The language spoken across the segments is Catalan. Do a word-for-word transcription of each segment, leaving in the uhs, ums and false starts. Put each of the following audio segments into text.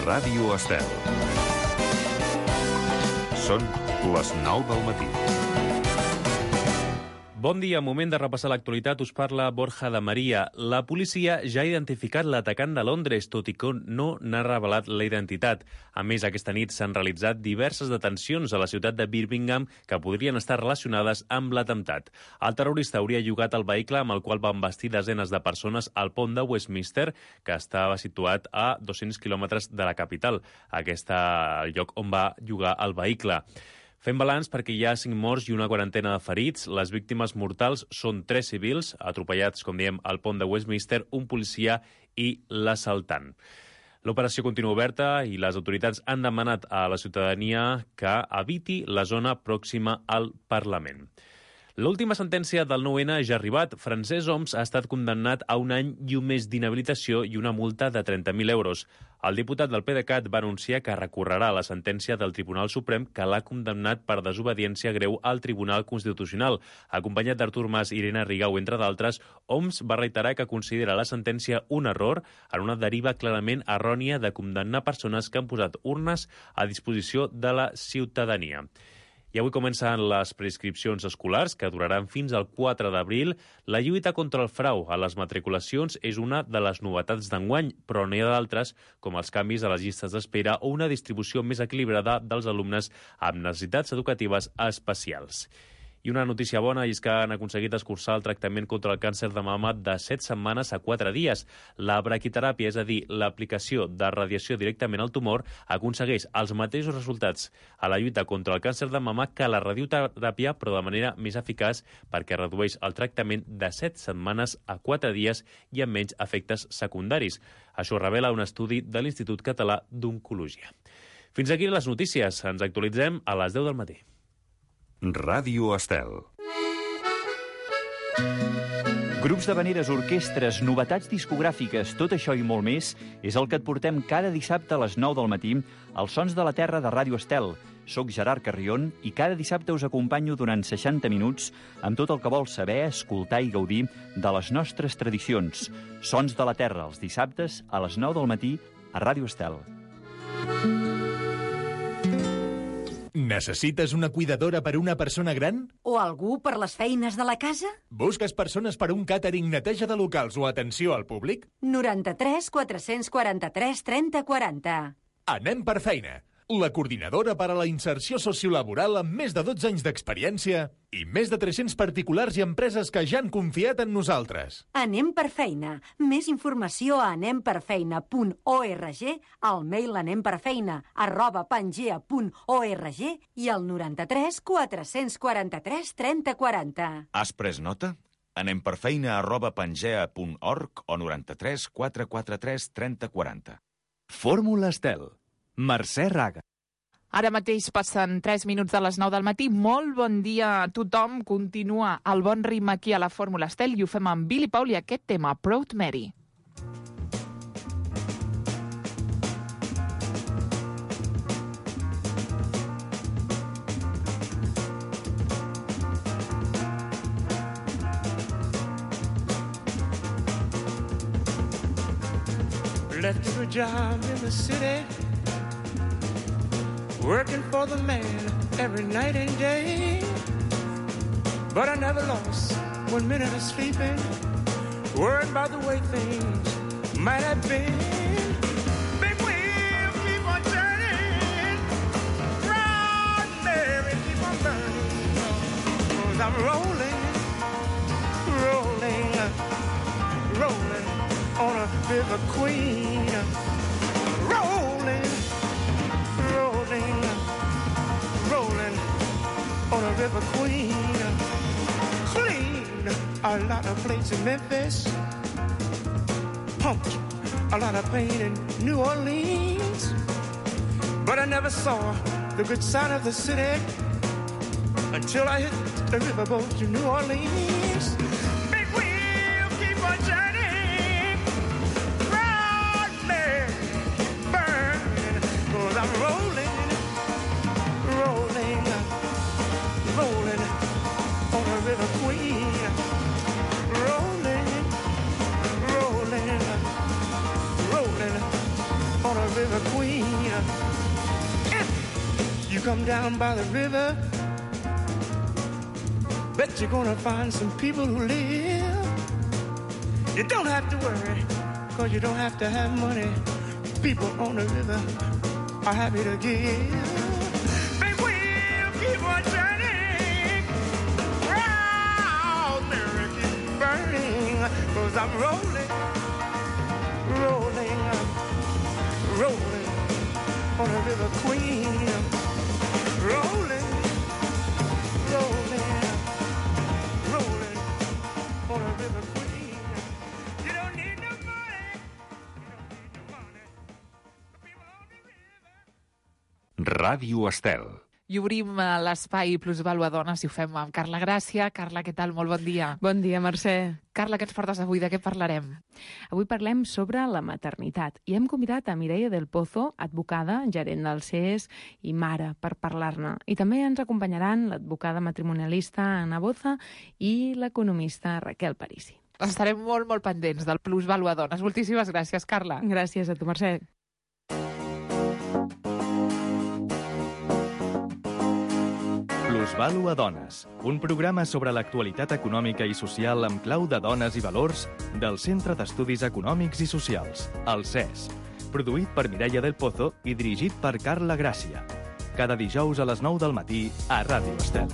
Ràdio Estel. Són les nou del matí. Bon dia, moment de repassar l'actualitat. Us parla Borja de Maria. La policia ja ha identificat l'atacant de Londres, tot i que no n'ha revelat la identitat. A més, aquesta nit s'han realitzat diverses detencions a la ciutat de Birmingham que podrien estar relacionades amb l'atemptat. El terrorista hauria llogat el vehicle amb el qual van vestir desenes de persones al pont de Westminster, que estava situat a dos-cents quilòmetres de la capital. Aquest és el lloc on va llogar el vehicle. Fem balanç perquè hi ha cinc morts i una quarantena de ferits. Les víctimes mortals són tres civils, atropellats, com diem, al pont de Westminster, un policia i l'assaltant. L'operació continua oberta i les autoritats han demanat a la ciutadania que eviti la zona pròxima al Parlament. L'última sentència del nou ene ja ha arribat. Francesc Homs ha estat condemnat a un any i un mes d'inhabilitació i una multa de trenta mil euros. El diputat del PDeCAT va anunciar que recorrerà la sentència del Tribunal Suprem que l'ha condemnat per desobediència greu al Tribunal Constitucional. Acompanyat d'Artur Mas i Irene Rigau, entre d'altres, Homs va reiterar que considera la sentència un error en una deriva clarament errònia de condemnar persones que han posat urnes a disposició de la ciutadania. I avui comencen les preinscripcions escolars, que duraran fins al quatre d'abril. La lluita contra el frau a les matriculacions és una de les novetats d'enguany, però n'hi ha d'altres, com els canvis a les llistes d'espera o una distribució més equilibrada dels alumnes amb necessitats educatives especials. I una notícia bona és que han aconseguit escurçar el tractament contra el càncer de mama de set setmanes a quatre dies. La braquiteràpia, és a dir, l'aplicació de radiació directament al tumor, aconsegueix els mateixos resultats a la lluita contra el càncer de mama que la radioteràpia, però de manera més eficaç perquè redueix el tractament de set setmanes a quatre dies i amb menys efectes secundaris. Això revela un estudi de l'Institut Català d'Oncologia. Fins aquí les notícies. Ens actualitzem a les deu del matí. Ràdio Estel. Grups d'havaneres, orquestres, novetats discogràfiques, tot això i molt més és el que et portem cada dissabte a les nou del matí als Sons de la Terra de Ràdio Estel. Soc Gerard Carrion i cada dissabte us acompanyo durant seixanta minuts amb tot el que vols saber, escoltar i gaudir de les nostres tradicions. Sons de la Terra, els dissabtes a les nou del matí a Ràdio Estel. Necessites una cuidadora per una persona gran? O algú per les feines de la casa? Busques persones per un càtering, neteja de locals o atenció al públic? noranta-tres quatre-cents quaranta-tres trenta quaranta. Anem per feina. La coordinadora per a la inserció sociolaboral amb més de dotze anys d'experiència i més de tres-cents particulars i empreses que ja han confiat en nosaltres. Anem per feina. Més informació a anem per feina punt org, al mail anemperfeina arroba pangea punt org i al noranta-tres quatre-cents quaranta-tres trenta quaranta. Has pres nota? anemperfeina arroba pangea punt org o noranta-tres quatre-cents quaranta-tres trenta quaranta. Fórmula Estel. Mercè Raga. Ara mateix passen tres minuts de les nou del matí. Molt bon dia a tothom. Continua el bon ritme aquí a la Fórmula Estel i ho fem amb Billy Paul i aquest tema, Proud Mary. Left a job in the city, working for the man every night and day. But I never lost one minute of sleeping, worried about the way things might have been. Big wheel keep on turning, Proud Mary keep on burning, 'cause I'm rolling, rolling, rolling on a river queen, rolling, rolling, rolling on a river queen. Clean a lot of plates in Memphis, pumped a lot of pain in New Orleans, but I never saw the good side of the city until I hit the riverboat to New Orleans. Big wheel keep on turning, Proud Mary keep burning, 'cause I'm rolling, rolling, rolling on a river queen, rolling, rolling, rolling on a river river queen. If you come down by the river, bet you're gonna find some people who live. You don't have to worry, cause you don't have to have money. People on the river are happy to give. Big wheel keep on turning, round mirror keep burning, cause I'm rolling, rolling, rolling on the river queen. Rolling, rolling, rolling on the river queen. You don't need no money, you don't need no money. The people on the river. Ràdio Estel. I obrim eh, l'espai Plusvàlua Dones i ho fem amb Carla Gràcia. Carla, què tal? Molt bon dia. Bon dia, Mercè. Carla, què ens portes avui? De què parlarem? Avui parlem sobre la maternitat i hem convidat a Mireia del Pozo, advocada, gerent del C E S i mare, per parlar-ne. I també ens acompanyaran l'advocada matrimonialista Ana Boza i l'economista Raquel Parisi. Estarem molt, molt pendents del Plusvàlua Dones. Moltíssimes gràcies, Carla. Gràcies a tu, Mercè. Plusvàlua Dones, un programa sobre l'actualitat econòmica i social amb clau de dones i valors del Centre d'Estudis Econòmics i Socials, el C E S, produït per Mireia del Pozo i dirigit per Carla Gràcia. Cada dijous a les nou del matí a Ràdio Estel.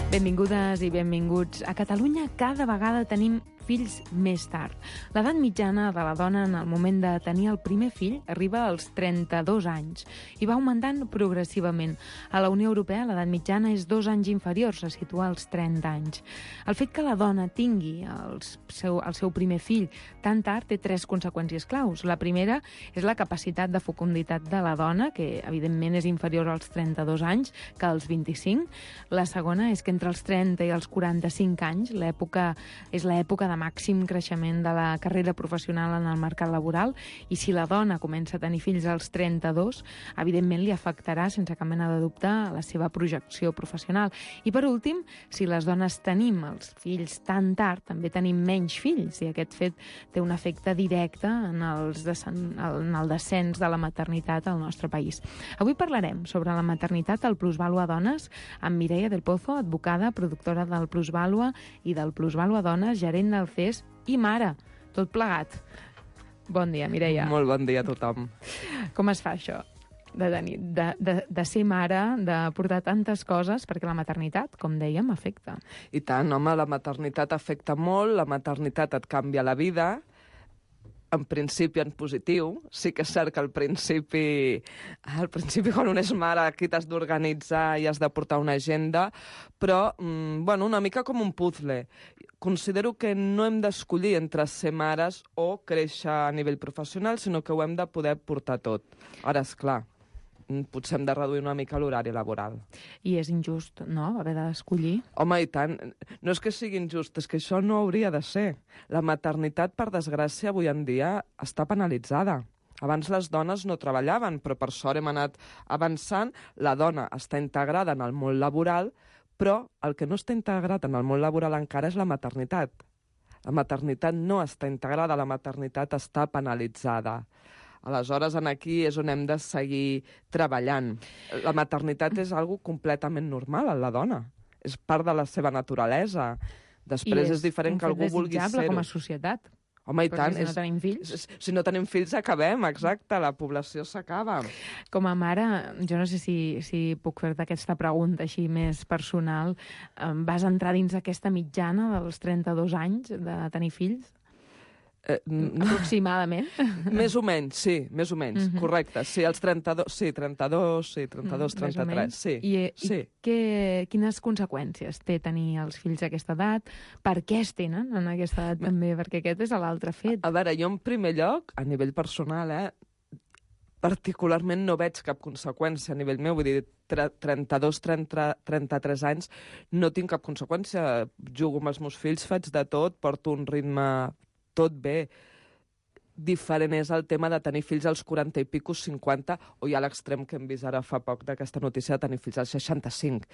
Benvingudes i benvinguts. A Catalunya cada vegada tenim fills més tard. L'edat mitjana de la dona en el moment de tenir el primer fill arriba als trenta-dos anys i va augmentant progressivament. A la Unió Europea l'edat mitjana és dos anys inferior, se situa als trenta anys. El fet que la dona tingui el seu, el seu primer fill tan tard té tres conseqüències claus. La primera és la capacitat de fecunditat de la dona, que evidentment és inferior als trenta-dos anys que als vint-i-cinc. La segona és que entre els trenta i els quaranta-cinc anys l'època és l'època de màxim creixement de la carrera professional en el mercat laboral i si la dona comença a tenir fills als trenta-dos, evidentment li afectarà sense cap mena de dubte la seva projecció professional. I per últim, si les dones tenim els fills tan tard, també tenim menys fills i aquest fet té un efecte directe en, els desen... en el descens de la maternitat al nostre país. Avui parlarem sobre la maternitat al Plusvàlua Dones amb Mireia del Pozo, advocada, productora del Plusvàlua i del Plusvàlua Dones, gerent del C E S i mare, tot plegat. Bon dia, Mireia. Molt bon dia a tothom. Com es fa això? De, tenir, de, de, de ser mare, de portar tantes coses, perquè la maternitat, com dèiem, afecta. I tant, home, la maternitat afecta molt, la maternitat et canvia la vida, en principi en positiu. Sí que és cert que al principi, al principi quan un és mare, aquí t'has d'organitzar i has de portar una agenda, però, mm, bueno, una mica com un puzzle. Considero que no hem d'escollir entre ser mares o créixer a nivell professional, sinó que ho hem de poder portar tot. Ara, és clar, potser hem de reduir una mica l'horari laboral. I és injust, no?, haver d'escollir. Home, i tant. No és que sigui injust, és que això no hauria de ser. La maternitat, per desgràcia, avui en dia està penalitzada. Abans les dones no treballaven, però per sort hem anat avançant. La dona està integrada en el món laboral, però el que no està integrat en el món laboral encara és la maternitat. La maternitat no està integrada, la maternitat està penalitzada. Aleshores, en aquí és on hem de seguir treballant. La maternitat és algo completament normal en la dona. És part de la seva naturalesa. Després és, és diferent que algú vulgui ser-ho. com a societat. Home, i tant. Si no tenim fills... És, si no tenim fills, acabem, exacte. La població s'acaba. Com a mare, jo no sé si, si puc fer-te aquesta pregunta així més personal. Vas entrar dins aquesta mitjana dels trenta-dos anys de tenir fills? Eh, Aproximadament. Més o menys, sí, més o menys, uh-huh. Correcte. Sí, els trenta-dos, sí, trenta-dos, sí, trenta-dos, mm, trenta-tres, sí. I, sí. i què, quines conseqüències té tenir els fills a aquesta edat? Per què es tenen en aquesta edat també? Perquè aquest és l'altre fet. A, a veure, jo en primer lloc, a nivell personal, eh, particularment no veig cap conseqüència a nivell meu, vull dir, trenta-dos, trenta, trenta-tres anys, no tinc cap conseqüència. Jugo amb els meus fills, faig de tot, porto un ritme tot bé. Diferent és el tema de tenir fills als quaranta i pico, cinquanta, o ja a l'extrem que hem vist ara fa poc d'aquesta notícia de tenir fills als seixanta-cinc.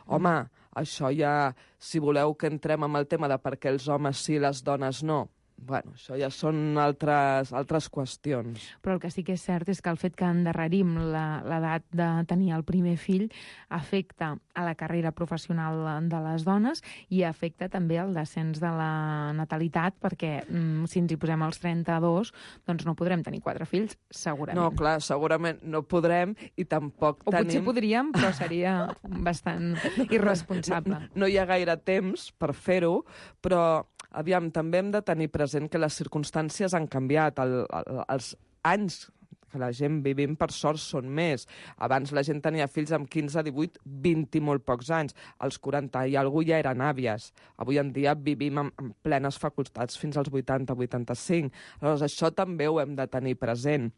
Home, això ja, si voleu que entrem amb el tema de per què els homes sí i les dones no, bueno, això ja són altres, altres qüestions. Però el que sí que és cert és que el fet que endarrerim l'edat de tenir el primer fill afecta a la carrera professional de les dones i afecta també el descens de la natalitat, perquè mm, si ens hi posem als trenta-dos, doncs no podrem tenir quatre fills, segurament. No, clar, segurament no podrem i tampoc o tenim... O potser podríem, però seria bastant irresponsable. No, no hi ha gaire temps per fer-ho, però aviam, també hem de tenir present que les circumstàncies han canviat. El, el, els anys que la gent vivim, per sort, són més. Abans la gent tenia fills amb quinze, divuit, vint i molt pocs anys. Als quaranta i algú ja eren àvies. Avui en dia vivim amb, amb plenes facultats fins als vuitanta, vuitanta-cinc. Aleshores, això també ho hem de tenir present.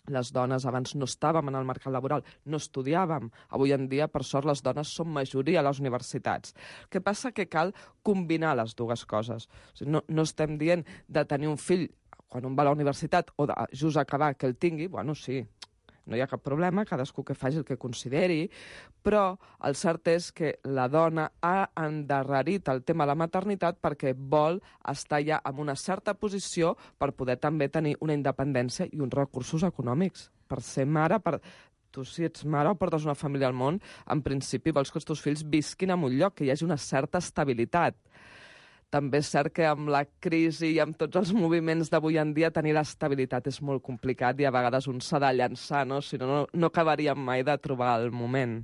Les dones abans no estàvem en el mercat laboral, no estudiàvem. Avui en dia, per sort, les dones són majoria a les universitats. El que passa que cal combinar les dues coses. O sigui, no, no estem dient de tenir un fill quan un va a la universitat o de just acabar que el tingui, bueno, sí, no hi ha cap problema, cadascú que faci el que consideri, però el cert és que la dona ha endarrerit el tema de la maternitat perquè vol estar ja en una certa posició per poder també tenir una independència i uns recursos econòmics. Per ser mare, per... tu si ets mare o portes una família al món, en principi vols que els teus fills visquin en un lloc, que hi hagi una certa estabilitat. També és cert que amb la crisi i amb tots els moviments d'avui en dia tenir l'estabilitat és molt complicat i a vegades un s'ha de llançar, no? Si no, no, no acabaríem mai de trobar el moment.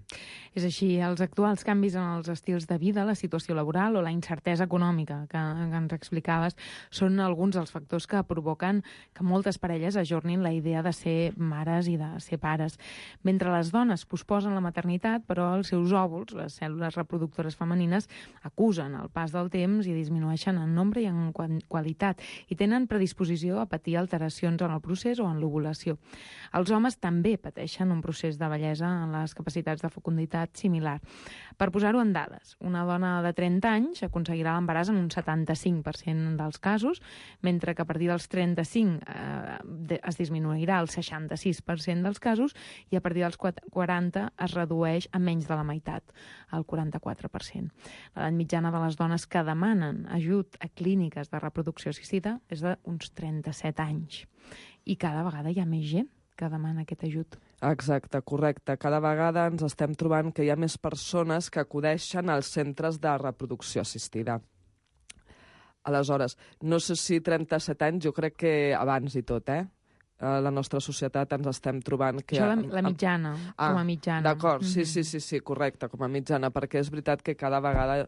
És així, els actuals canvis en els estils de vida, la situació laboral o la incertesa econòmica que, que ens explicaves són alguns dels factors que provoquen que moltes parelles ajornin la idea de ser mares i de ser pares. Mentre les dones posposen la maternitat, però els seus òvuls, les cèl·lules reproductores femenines, acusen el pas del temps i disminueixen en nombre i en qualitat i tenen predisposició a patir alteracions en el procés o en l'ovulació. Els homes també pateixen un procés de bellesa en les capacitats de fecunditat similar. Per posar-ho en dades, una dona de trenta anys aconseguirà l'embaràs en un setanta-cinc per cent dels casos, mentre que a partir dels trenta-cinc eh, es disminuirà el seixanta-sis per cent dels casos i a partir dels quaranta es redueix a menys de la meitat, el quaranta-quatre per cent. L'edat mitjana de les dones que demanen ajut a clíniques de reproducció assistida és d'uns trenta-set anys. I cada vegada hi ha més gent que demana aquest ajut. Exacte, correcte. Cada vegada ens estem trobant que hi ha més persones que acudeixen als centres de reproducció assistida. Aleshores, no sé si trenta-set anys, jo crec que abans i tot, eh? A la nostra societat ens estem trobant que... Això la, la mitjana, ah, com a mitjana. D'acord, sí, mm-hmm. sí, sí, sí, correcte, com a mitjana, perquè és veritat que cada vegada...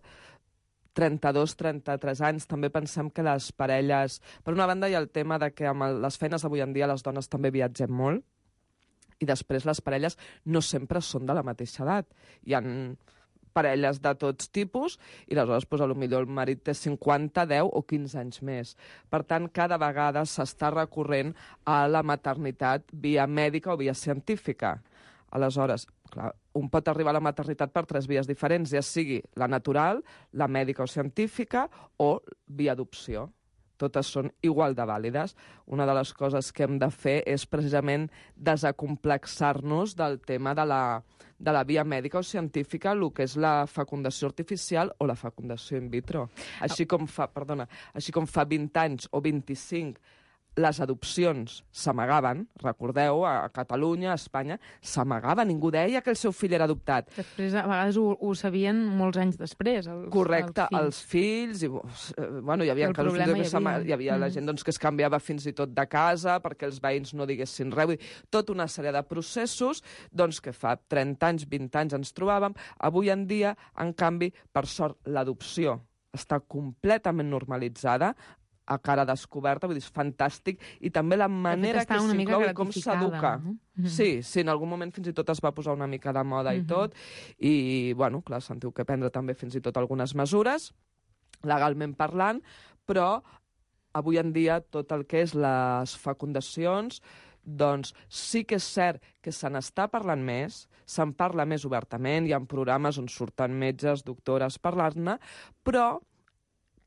trenta-dos, trenta-tres anys, també pensem que les parelles... Per una banda hi ha el tema de que amb les feines d'avui en dia les dones també viatgem molt i després les parelles no sempre són de la mateixa edat. Hi ha parelles de tots tipus i aleshores doncs, potser el marit té cinquanta, deu o quinze anys més. Per tant, cada vegada s'està recorrent a la maternitat via mèdica o via científica. Aleshores, clar, un pot arribar a la maternitat per tres vies diferents, ja sigui la natural, la mèdica o científica o via adopció. Totes són igual de vàlides. Una de les coses que hem de fer és precisament desacomplexar-nos del tema de la, de la via mèdica o científica, el que és la fecundació artificial o la fecundació in vitro. Així com fa, perdona, així com fa vint anys o vint-i-cinc les adopcions s'amagaven, recordeu, a Catalunya, a Espanya, s'amagava, ningú deia que el seu fill era adoptat. Després, a vegades, ho, ho sabien molts anys després, els, Correcte, els fills. els fills, i, bueno, hi havia casos hi havia, que hi havia mm. la gent doncs, que es canviava fins i tot de casa perquè els veïns no diguessin res, vull dir, tota una sèrie de processos doncs, que fa trenta anys, vint anys ens trobàvem. Avui en dia, en canvi, per sort, l'adopció està completament normalitzada, a cara descoberta, vull dir, és fantàstic, i també la manera que s'inclou i com s'educa. No? Mm-hmm. Sí, sí, en algun moment fins i tot es va posar una mica de moda mm-hmm. i tot, i, bueno, clar, sentiu que prendre també fins i tot algunes mesures, legalment parlant, però avui en dia tot el que és les fecundacions, doncs sí que és cert que se n'està parlant més, se'n parla més obertament, hi ha programes on surten metges, doctores, parlar-ne, però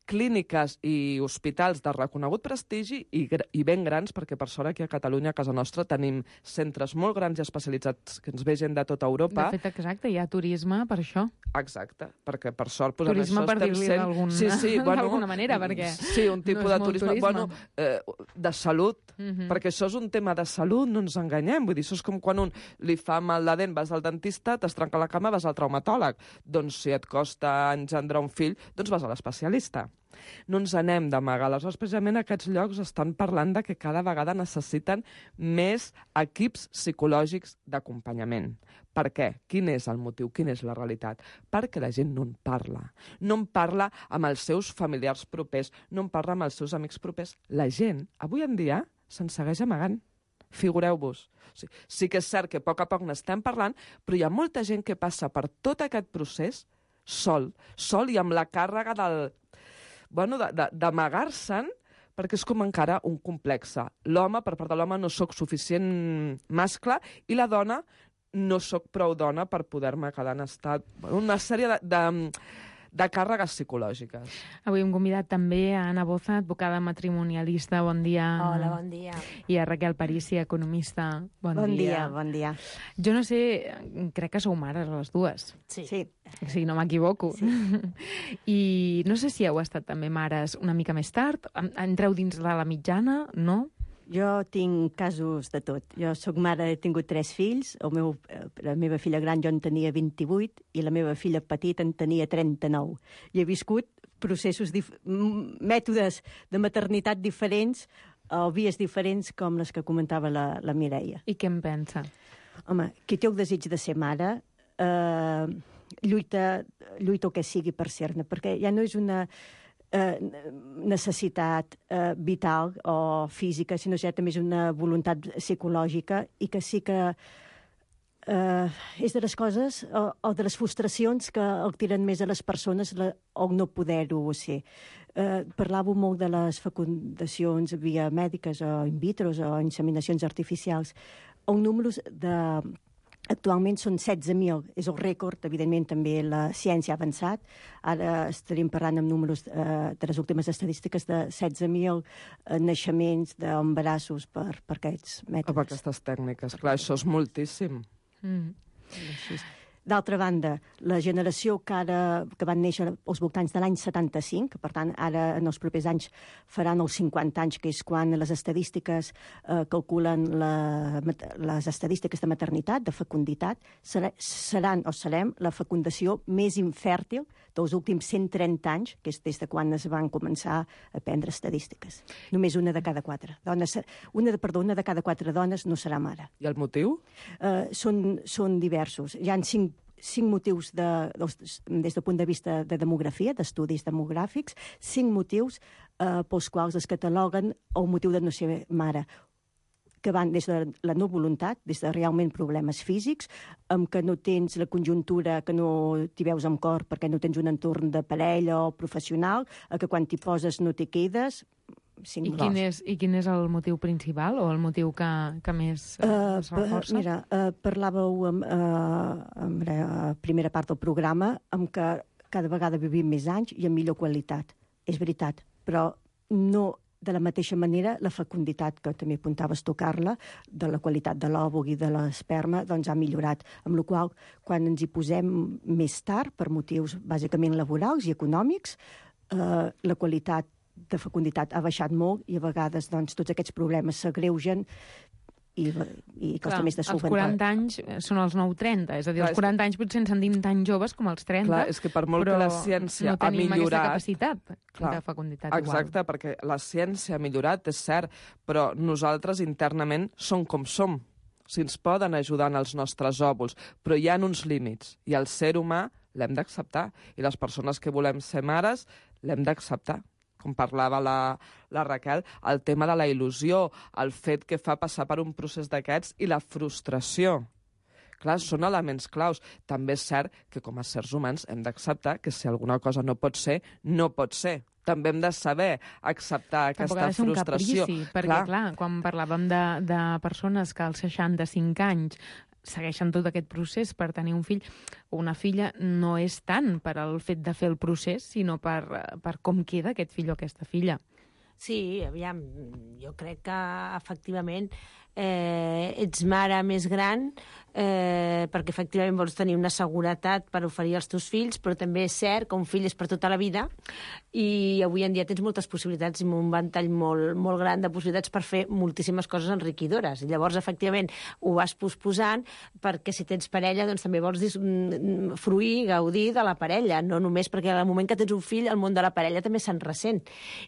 clíniques i hospitals de reconegut prestigi i, i ben grans, perquè per sort aquí a Catalunya, a casa nostra, tenim centres molt grans i especialitzats que ens ve gent de tota Europa. De fet, exacte, hi ha turisme per això. Exacte, perquè per sort... Pues, turisme per dir-li sent... d'alguna sí, sí, bueno, manera, perquè sí, un tipus no de turisme, turisme. Bueno, eh, de salut, uh -huh. perquè això és un tema de salut, no ens enganyem. Vull dir, això és com quan un li fa mal de dent, vas al dentista, t'es trenca la cama, vas al traumatòleg. Doncs si et costa engendrar un fill, doncs vas a l'especialista. No ens anem d'amagar. Aleshores, precisament aquests llocs estan parlant de que cada vegada necessiten més equips psicològics d'acompanyament. Per què? Quin és el motiu? Quina és la realitat? Perquè la gent no en parla. No en parla amb els seus familiars propers, no en parla amb els seus amics propers. La gent, avui en dia, se'n segueix amagant. Figureu-vos. Sí, sí que és cert que a poc a poc n'estem parlant, però hi ha molta gent que passa per tot aquest procés sol, sol i amb la càrrega del... bueno, d'amagar-se'n, perquè és com encara un complexe. L'home, per part de l'home, no sóc suficient mascle, i la dona, no sóc prou dona per poder-me quedar en estat... Bueno, una sèrie de, de, de càrregues psicològiques. Avui hem convidat també a Anna Boza, advocada matrimonialista. Bon dia. Hola, bon dia. I a Raquel Parícia, economista. Bon, bon dia. dia. Bon dia. Jo no sé, crec que sou mares les dues. Sí. sí. Si no m'equivoco. Sí. I no sé si heu estat també mares una mica més tard. Entreu dins de la mitjana, no? Jo tinc casos de tot. Jo sóc mare, he tingut tres fills. El meu, la meva filla gran jo en tenia vint-i-vuit i la meva filla petita en tenia trenta-nou. I he viscut processos, dif mètodes de maternitat diferents o vies diferents com les que comentava la, la Mireia. I què en pensa? Home, qui té el desig de ser mare eh, lluita, lluita el que sigui per ser-ne, perquè ja no és una... Eh, necessitat eh, vital o física, sinó ja també és una voluntat psicològica i que sí que eh, és de les coses o, o de les frustracions que el tiren més a les persones la, o no poder-ho ser. Eh, parlàveu molt de les fecundacions via mèdiques o in vitro o inseminacions artificials. El número de... Actualment són setze mil, és el rècord, evidentment també la ciència ha avançat, ara estaríem parlant amb números eh, de les últimes estadístiques de setze mil eh, naixements d'embarassos per, per aquests mètodes. Per aquestes tècniques, clar, això és moltíssim. Mm. D'altra banda, la generació que, ara, que van néixer als voltants de l'any setanta-cinc, per tant, ara en els propers anys faran els cinquanta anys, que és quan les estadístiques eh, calculen la, les estadístiques de maternitat, de fecunditat, serà, seran o serem la fecundació més infèrtil dels últims cent trenta anys, que és des de quan es van començar a prendre estadístiques. Només una de cada quatre dones, una de, perdó, una de cada quatre dones no serà mare. I el motiu? Eh, són, són diversos. Hi ha cinc cinc motius de, des del punt de vista de demografia, d'estudis demogràfics, cinc motius eh, pels quals es cataloguen el motiu de no ser mare, que van des de la no voluntat, des de realment problemes físics, amb que no tens la conjuntura, que no t'hi veus amb cor perquè no tens un entorn de parella o professional, a que quan t'hi poses no t'hi quedes... I quin, és, I quin és el motiu principal o el motiu que, que més uh, es reforça? Mira, uh, parlàveu amb, uh, amb la primera part del programa amb que cada vegada vivim més anys i amb millor qualitat. És veritat, però no de la mateixa manera la fecunditat, que també apuntaves tu, Carla, de la qualitat de l'òvul i de l'esperma, doncs ha millorat. Amb la qual cosa, quan ens hi posem més tard, per motius bàsicament laborals i econòmics, uh, la qualitat de fecunditat ha baixat molt i a vegades doncs, tots aquests problemes s'agreugen i, i costa clar, més de solventar. Els quaranta anys són els nou trenta, és a dir, clar, els quaranta anys potser ens sentim tan joves com els trenta, clar, és que per molt però que la ciència no tenim ha millorat... aquesta capacitat clar, de fecunditat exacte, igual. Perquè la ciència ha millorat, és cert, però nosaltres internament som com som. Si ens poden ajudar en els nostres òvuls, però hi ha uns límits, i el ser humà l'hem d'acceptar, i les persones que volem ser mares l'hem d'acceptar. Com parlava la, la Raquel, el tema de la il·lusió, el fet que fa passar per un procés d'aquests i la frustració. Clar, són elements claus. També és cert que com a éssers humans hem d'acceptar que si alguna cosa no pot ser, no pot ser. També hem de saber acceptar Tampoc aquesta ha de ser un frustració. Caprici, perquè, clar, clar quan parlàvem de, de persones que als seixanta-cinc anys segueixen tot aquest procés per tenir un fill o una filla, no és tant per al fet de fer el procés, sinó per, per com queda aquest fill o aquesta filla. Sí, aviam, jo crec que efectivament eh, ets mare més gran eh, perquè efectivament vols tenir una seguretat per oferir als teus fills, però també és cert que un fill és per tota la vida i avui en dia tens moltes possibilitats i un ventall molt, molt gran de possibilitats per fer moltíssimes coses enriquidores. I llavors, efectivament, ho vas posposant perquè si tens parella doncs també vols fruir, gaudir de la parella, no només perquè al moment que tens un fill el món de la parella també se'n ressent.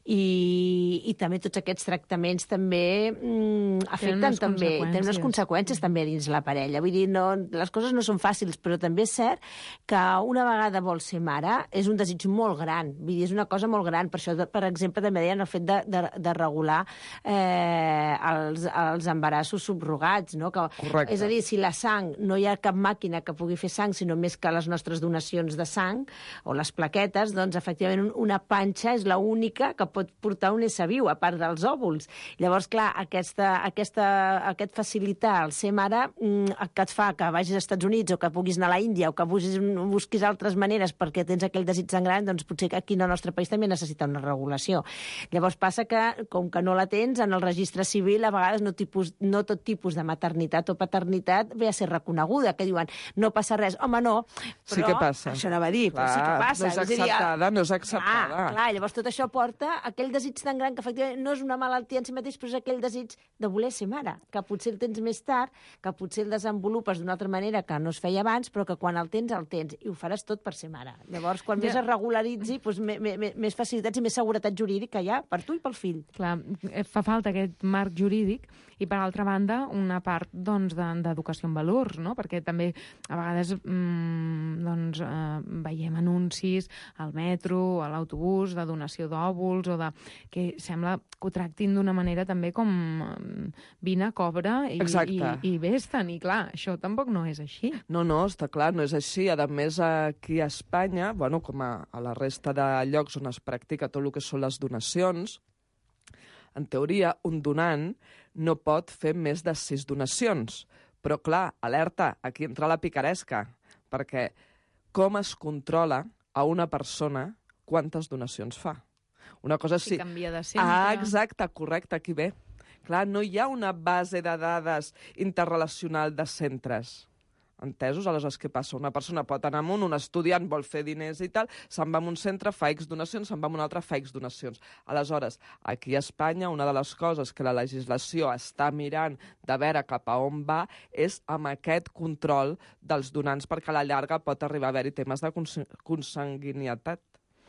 I, i també tots aquests tractaments també mm, afecten també, tenen unes conseqüències també dins la parella. Vull dir, no, les coses no són fàcils, però també és cert que una vegada vols ser mare és un desig molt gran. Vull dir, és una cosa molt gran. Per això, per exemple, també deien el fet de, de, de regular eh, els, els embarassos subrogats, no? Que, correcte. És a dir, si la sang, no hi ha cap màquina que pugui fer sang, sinó més que les nostres donacions de sang o les plaquetes, doncs, efectivament, una panxa és l'única que pot portar un ésser viu, a part dels òvuls. Llavors, clar, aquesta, aquesta aquest facilitar el ser mare que et fa que vagis als Estats Units o que puguis anar a la Índia o que busquis, busquis altres maneres perquè tens aquell desig tan gran, doncs potser que aquí en el nostre país també necessita una regulació. Llavors passa que, com que no la tens, en el registre civil a vegades no, tipus, no tot tipus de maternitat o paternitat ve a ser reconeguda, que diuen no passa res. Home, no, però sí que passa. Això anava a dir, clar, però sí que passa. No és acceptada, no és acceptada. Clar, clar, llavors tot això porta a aquell desig tan gran que efectivament no és una malaltia en si mateix, però és aquell desig de voler ser mare, que potser el tens més tard, que potser el desenvolupes d'una altra manera que no es feia abans, però que quan el tens, el tens, i ho faràs tot per ser mare. Llavors, quan ja. més es regularitzi, doncs, més, més, més facilitats i més seguretat jurídica hi ha per tu i pel fill. Clar, fa falta aquest marc jurídic i, per altra banda, una part doncs, d'educació en valors, no? Perquè també a vegades mmm, doncs, eh, veiem anuncis al metro, a l'autobús, de donació d'òvuls, o de que sembla que ho tractin d'una manera també com vine, cobra i, i, i vés-te'n. I clar, això tampoc no és així. No, no, està clar, no és així. A més, aquí a Espanya, bueno, com a, a la resta de llocs on es practica tot el que són les donacions, en teoria, un donant no pot fer més de sis donacions. Però, clar, alerta, aquí entra la picaresca, perquè com es controla a una persona quantes donacions fa? Una cosa si... sí. canvia de centre. Ah, exacte, correcte, aquí ve. Clar, no hi ha una base de dades interrelacional de centres. Entesos? Aleshores, què passa? Una persona pot anar amunt, un estudiant vol fer diners i tal, se'n va a un centre, fa X donacions, se'n va a un altre, fa X donacions. Aleshores, aquí a Espanya, una de les coses que la legislació està mirant de veure cap a on va és amb aquest control dels donants, perquè a la llarga pot arribar a haver-hi temes de cons consanguinitat.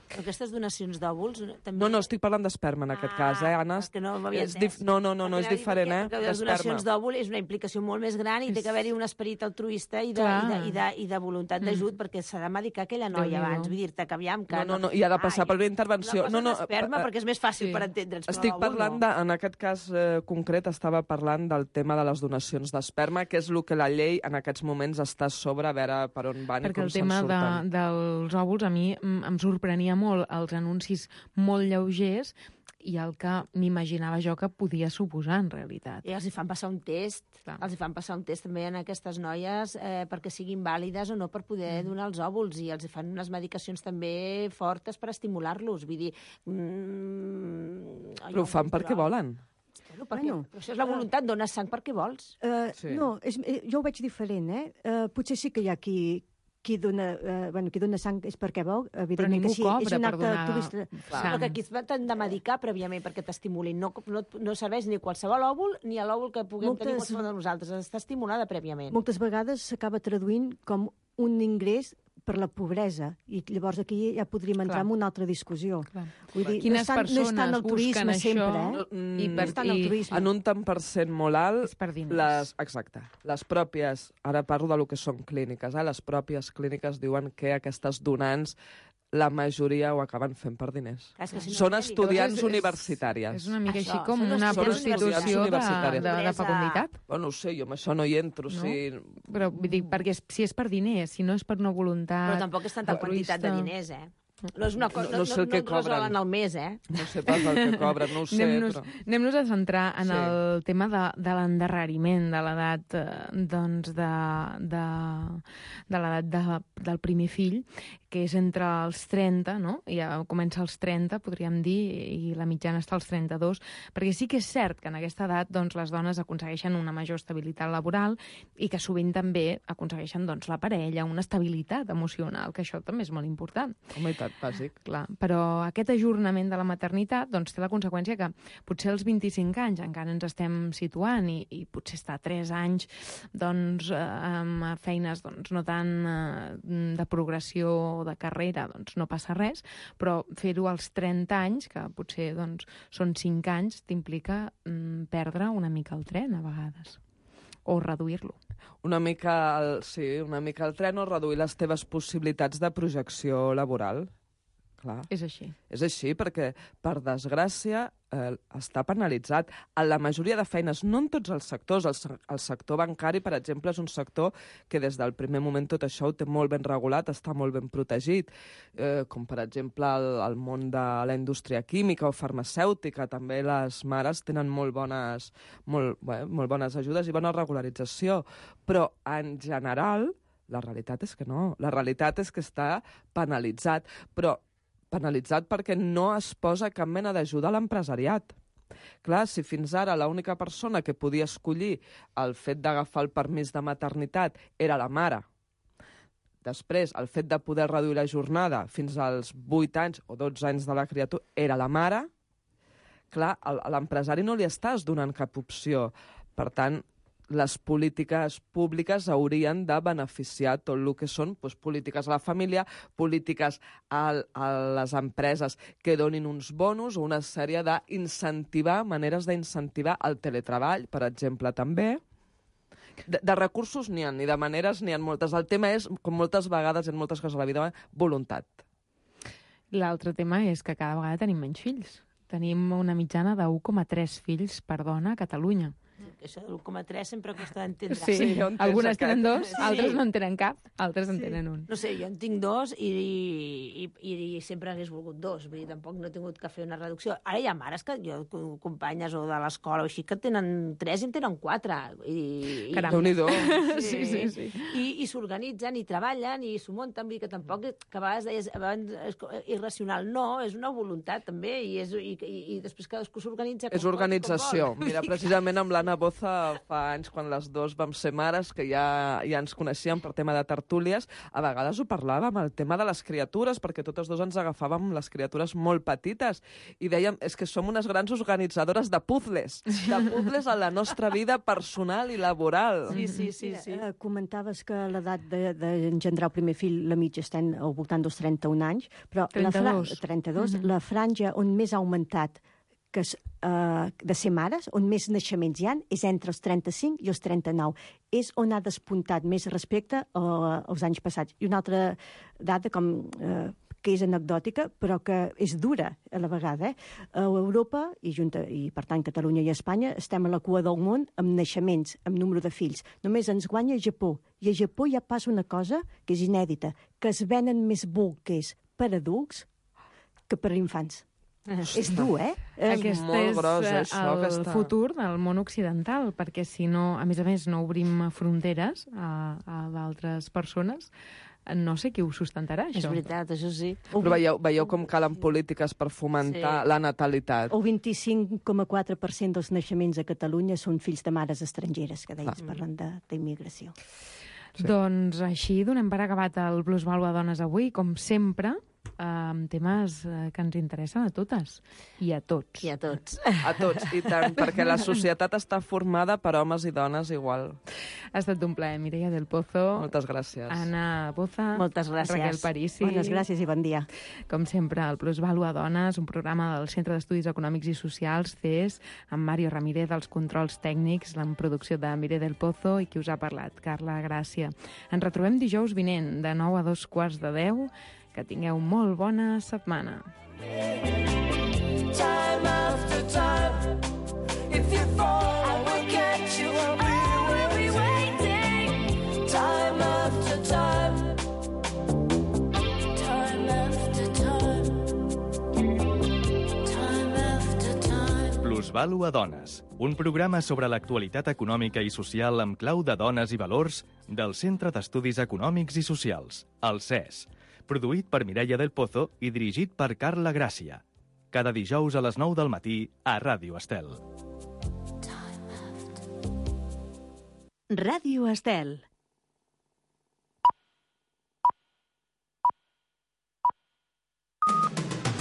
Però aquestes donacions d'òvuls... També... No, no, estic parlant d'esperma en ah, aquest cas, eh, Anna? Que no m'havia entès. No, no, no, no és diferent, eh? Perquè les donacions d'òvul és una implicació molt més gran i té que haver-hi un esperit altruista i de, i de, i de, i de voluntat d'ajut, mm. perquè s'ha de medicar aquella noia abans. Vull dir-te que aviam... Que no, no, no, i ha de passar per la intervenció. No, no, no, esperma, perquè és més fàcil sí. per entendre'ns. Estic parlant, de, en aquest cas eh, concret, estava parlant del tema de les donacions d'esperma, que és el que la llei en aquests moments està sobre, a veure per on van perquè i com se'n surten. Perquè el tema de, dels òvuls a mi em sorprenia molt els anuncis molt lleugers i el que m'imaginava jo que podia suposar en realitat. I els hi fan passar un test, Clar. els hi fan passar un test també en aquestes noies eh, perquè siguin vàlides o no per poder mm. donar els òvuls, i els hi fan unes medicacions també fortes per estimular-los. Vull dir... Mm, Però ho fan perquè volen. Bueno, perquè, bueno, però això és la voluntat, dones sang perquè vols. Uh, sí. No, és, jo ho veig diferent, eh? Uh, potser sí que hi ha qui... qui dona, eh, bueno, qui dona sang és perquè vol, evidentment que sí, és un acte altruista. Però que aquí t'han de medicar prèviament perquè t'estimulin. No, no, no serveix ni qualsevol òvul ni a l'òvul que puguem moltes, tenir qualsevol de nosaltres. Està estimulada prèviament. Moltes vegades s'acaba traduint com un ingrés per la pobresa, i llavors aquí ja podríem entrar Clar. en una altra discussió. Clar. Vull dir, Quines no és tant, no és tant el turisme això, sempre, eh? No, mm, I per tant, el turisme. En un tant per cent molt alt, per les, exacte, les pròpies, ara parlo de lo que són clíniques, eh? Les pròpies clíniques diuen que aquestes donants la majoria ho acaben fent per diners. Ah, si no són estudiants és, universitàries. És una mica això, així com una prostitució de, de, de fecunditat. Bueno, no ho sé, jo amb això no hi entro. No? Si... Però vull dir, perquè si és per diners, si no és per una voluntat... Però tampoc és tanta quantitat de diners, eh? No és una cosa, No- no sé el que no, no, no cobren. resolen al mes, eh? No sé pas el que cobren, no ho sé, Anem-nos però... anem-nos a centrar en Sí. el tema de, de l'endarreriment de l'edat eh, doncs de, de, de l'edat de, del primer fill, que és entre els trenta, no? Ja comença als trenta, podríem dir, i la mitjana està als trenta-dos, perquè sí que és cert que en aquesta edat doncs, les dones aconsegueixen una major estabilitat laboral i que sovint també aconsegueixen doncs, la parella, una estabilitat emocional, que això també és molt important. Home, i tant, bàsic. Clar, però aquest ajornament de la maternitat doncs, té la conseqüència que potser als vint-i-cinc anys encara ens estem situant i, i potser estar tres anys doncs, eh, amb feines doncs, no tan eh, de progressió o de carrera, doncs no passa res, però fer-ho als trenta anys, que potser doncs, són cinc anys, t'implica mm, perdre una mica el tren a vegades, o reduir-lo. Una mica, el, sí, una mica el tren o reduir les teves possibilitats de projecció laboral. Clar. És així. És així, perquè, per desgràcia, eh, està penalitzat. En la majoria de feines, no en tots els sectors. El, se- el sector bancari, per exemple, és un sector que des del primer moment tot això ho té molt ben regulat, està molt ben protegit, eh, com per exemple el, el món de la indústria química o farmacèutica. També les mares tenen molt bones, molt, bé, molt bones ajudes i bona regularització. Però, en general, la realitat és que no. La realitat és que està penalitzat, però penalitzat perquè no es posa cap mena d'ajuda a l'empresariat. Clar, si fins ara l'única persona que podia escollir el fet d'agafar el permís de maternitat era la mare, després el fet de poder reduir la jornada fins als vuit anys o dotze anys de la criatura era la mare, clar, a l'empresari no li estàs donant cap opció. Per tant, les polítiques públiques haurien de beneficiar tot el que són doncs, polítiques a la família, polítiques a, a les empreses que donin uns bonus o una sèrie d'incentivar, maneres d'incentivar el teletreball, per exemple, també. De, de recursos n'hi ha, ni de maneres n'hi ha moltes. El tema és, com moltes vegades en moltes coses a la vida, voluntat. L'altre tema és que cada vegada tenim menys fills. Tenim una mitjana de u coma tres fills per dona a Catalunya. Això de l'u coma tres sempre costa d'entendre. Sí, sí, algunes tenen dos, Sí. altres no en tenen cap, altres en tenen un. No sé, jo en tinc dos i, i, i, i sempre hagués volgut dos. Vull dir, tampoc no he tingut que fer una reducció. Ara hi ha mares que jo, companyes o de l'escola o així, que tenen tres i en tenen quatre. I, Caram. Déu-n'hi-do. Sí, sí, sí. I, i s'organitzen i treballen i s'ho munten. Vull dir que tampoc, que a vegades deies abans, és irracional. No, és una voluntat també i, és, i, i, i després cadascú s'organitza com És pot, organització. com vol. Mira, precisament amb l'Anna Boza fa anys, quan les dues vam ser mares, que ja, ja ens coneixíem per tema de tertúlies, a vegades ho parlàvem, el tema de les criatures, perquè totes dos ens agafàvem les criatures molt petites, i dèiem, és que som unes grans organitzadores de puzzles, de puzzles a la nostra vida personal i laboral. Sí, sí, sí. sí. Eh, comentaves que l'edat d'engendrar el primer fill, la mitja, està al voltant dels trenta-un anys, però trenta-dos. La, fra trenta-dos, Mhm. la franja on més ha augmentat que és, uh, de ser mares, on més naixements hi ha, és entre els trenta-cinc i els trenta-nou. És on ha despuntat més respecte uh, als anys passats. I una altra dada com, uh, que és anecdòtica, però que és dura a la vegada. Eh? A Europa, i, junta, i per tant Catalunya i Espanya, estem a la cua del món amb naixements, amb número de fills. Només ens guanya Japó. I a Japó ja passa una cosa que és inèdita, que es venen més bolquers per adults que per infants. És dur, eh? Aquest és gros, eh, això, el aquesta- futur del món occidental, perquè si no, a més a més, no obrim fronteres a, a d'altres persones, no sé qui ho sustentarà, això. És veritat, això sí. Però veieu, veieu com calen polítiques per fomentar Sí. la natalitat. El vint-i-cinc coma quatre per cent dels naixements a Catalunya són fills de mares estrangeres, que deies, parlant de- d'immigració. Sí. Doncs així donem per acabat el Plus Vàlua Dones avui, com sempre, amb temes eh, que ens interessen a totes i a tots. I a tots. A tots, i tant, perquè la societat està formada per homes i dones igual. Ha estat un plaer, Mireia del Pozo. Moltes gràcies. Anna Boza. Moltes gràcies. Raquel Parisi. Bones gràcies i bon dia. Com sempre, el Plus Vàlua Dones, un programa del Centre d'Estudis Econòmics i Socials, C E S, amb Mario Ramírez, dels controls tècnics, la producció de Mireia del Pozo i qui us ha parlat, Carla Gràcia. Ens retrobem dijous vinent, de nou a dos quarts de deu. Que tingueu molt bona setmana. Time after time, if you fall, I will catch you. I will be waiting. Time after time, time after time. Postvalu a dones, un programa sobre l'actualitat econòmica i social amb clau de dones i valors del Centre d'Estudis Econòmics i Socials, el C E S, produït per Mireia del Pozo i dirigit per Carla Gràcia. Cada dijous a les nou del matí a Ràdio Estel. Ràdio Estel.